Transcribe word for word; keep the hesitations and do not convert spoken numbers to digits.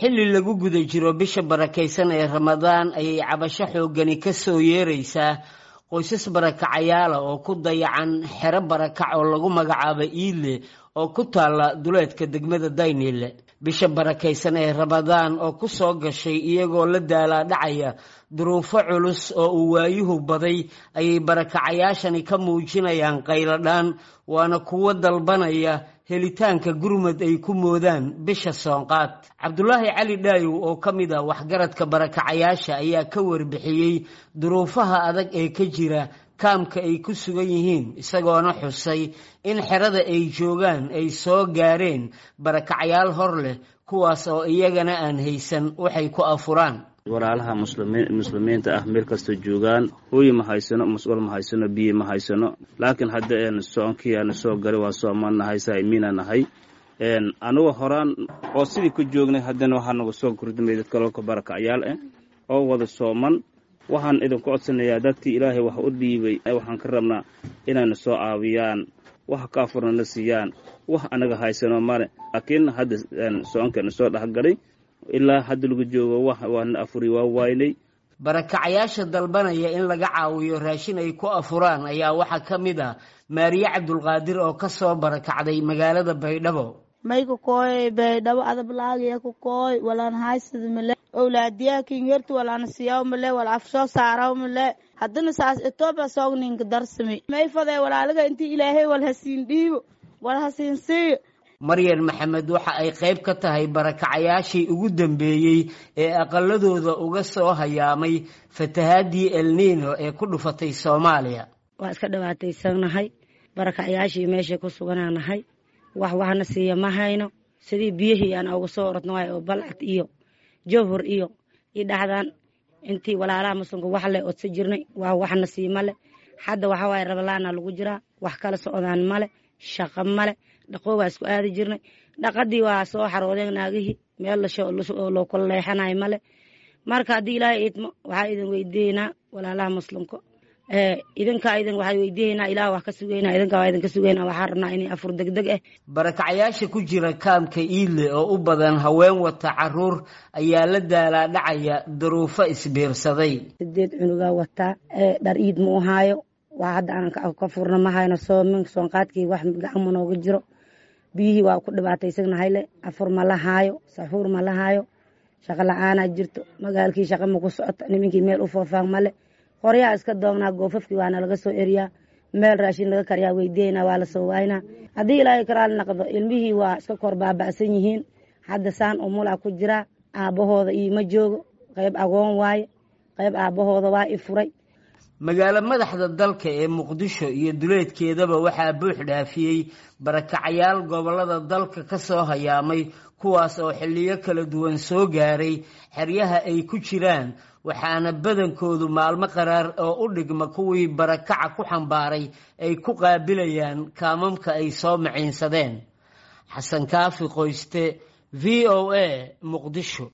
Xilli lagu guda jiro bisha barakaysan ee Ramadaan ayay cabasho xooggani ka soo yeeraysaa qoysas barakacayaala oo ku dayacan xero barakac oo lagu magacaabo Iile oo ku taalla duleedka degmada Dayniile. Bisha barakaysan ee Ramadaan oo ku soo gashay iyagoo la daalaadhacaya duruufo culus oo uu waayuhu baday ayay barakacayaashani ka muujinayaan qayladhaan, waana kuwo dalbanaya helitaanka gurmad ay ku moodaan bisha soonqaad. Cabdulaahi Cali Dhaayow oo ka mid ah waxgaradka barakacayaasha ayaa ka warbixiyey duruufaha adag ee ka jira kaamka ay ku sugan yihiin, isagoona xusay in xerada ay joogaan ay soo gaareen barakacayaal hor leh, kuwaas oo iyagana aan haysan waxay ku afuraan. Walaalaha muslimiinta ah meel kastoo joogaan, hooyi ma haysano, musqul ma haysano, biyo ma haysano, laakiin hadda soonkii aanu soo galay waa soomanahay, saa'imiina nahay. Anugu horaan oo sidii ku joognay, haddana waxaa nagu soo kordhimay dad kaloo ka barakacyaal ah oo wada sooman. Waxaan idinku codsanayaa dadkii Ilaahay wax u dhiibay, waxaan ka rabnaa inayna soo caawiyaan, wax ka afurna na siiyaan. Wax anaga haysano male, laakiin hadda soonkeena soo dhexgalay ilaa hadda lagu joogo wax waana afuri waa waynay. Barakacayaasha dalbanaya in laga caawiyo raashin ay ku afuraan ayaa waxaa ka mid ah Maariye Cabdulqaadir oo ka soo barakacday magaalada Baydhabo. Mayka kooy Baydhabo adablaagiya ku kooy, walaan haysad male, owlaadiyaha kingertu walaan siyaw male, wal afsoo saaraw male. Haddana saas Etoobiya soogninka darsami may fadee walaalaga intii Ilaahay wal hasiin dhiibo, wal hasiin siiyo. Maryan Maxamed waxa ay qayb ka tahay barakacayaashii ugu dambeeyey ee aqaladooda uga soo hayaamay fatahaadii El Nino ee ku dhufatay Soomaaliya. Waa iska dhibaataysanahay, barakacayaashii meeshay ku suganaanahay, wax waxna siiya ma hayno. Sidii biyihii aan uga soo orodno waay oo Balcad iyo Jowhor iyo i dhaxdaan intii walaalaha muslimka wax le odsa jirnay, waa waxna sii male. Hadda waxa waaye rabalaana lagu jiraa, wax kala socdaan male, shaqo male. Dhaqoo waa isku aadi jirnay, dhaqadii waa soo xaroodeen naagihii, meel loo kala leexanayo male. Marka haddii Ilaahay idmo, waxaa idin weydiiyeynaa walaalaha muslimka, idinkaa idin waxaa weydiiyeynaa, Ilaah wax ka sugeynaa, idinkaa waa idinka sugeynaa. Waxaa rabnaa inay afur degdeg ah. Barakacayaasha ku jira kaamka Iile oo u badan haween wata caruur ayaa la daalaadhacaya duruufo isbiirsaday. Sideed cunugaa wataa, dhar iid ma u haayo, waa hadda aanan ka furna ma hayno. Soomin soonqaadkii wax gacan ma nooga jiro, biyihii waa ku dhibaataysanahayle, afur ma la haayo, saxuur ma la haayo, shaqo la-aanaa jirto, magaalkii shaqa ma ku socoto, nimankii meel u foofaan male, qoryaa iska doognaa, goofafkii waana laga soo eriyaa, meel raashin laga kariyaa weydiyeynaa, waa lasoo waaynaa. Haddii Ilaahay karaali naqdo, ilmihii waa iska kor baaba'san yihiin. Hadda saan umulaa ku jiraa, aabbahooda iima joogo, qayb agoon waaye, qayb aabbahooda waa i furay. Magaalo madaxda dalka ee Muqdisho iyo duleedkeedaba waxaa buux dhaafiyey barakacayaal gobollada dalka ka soo hayaamay, kuwaas oo xilliyo kala duwan soo gaaray xeryaha ay ku jiraan, waxaana badankoodu maalmo qaraar oo u dhigma kuwii barakaca ku xambaaray ay ku qaabilayaan kaamamka ay soo maciinsadeen. Xasan Kaafi Qoyste, V O A, Muqdisho.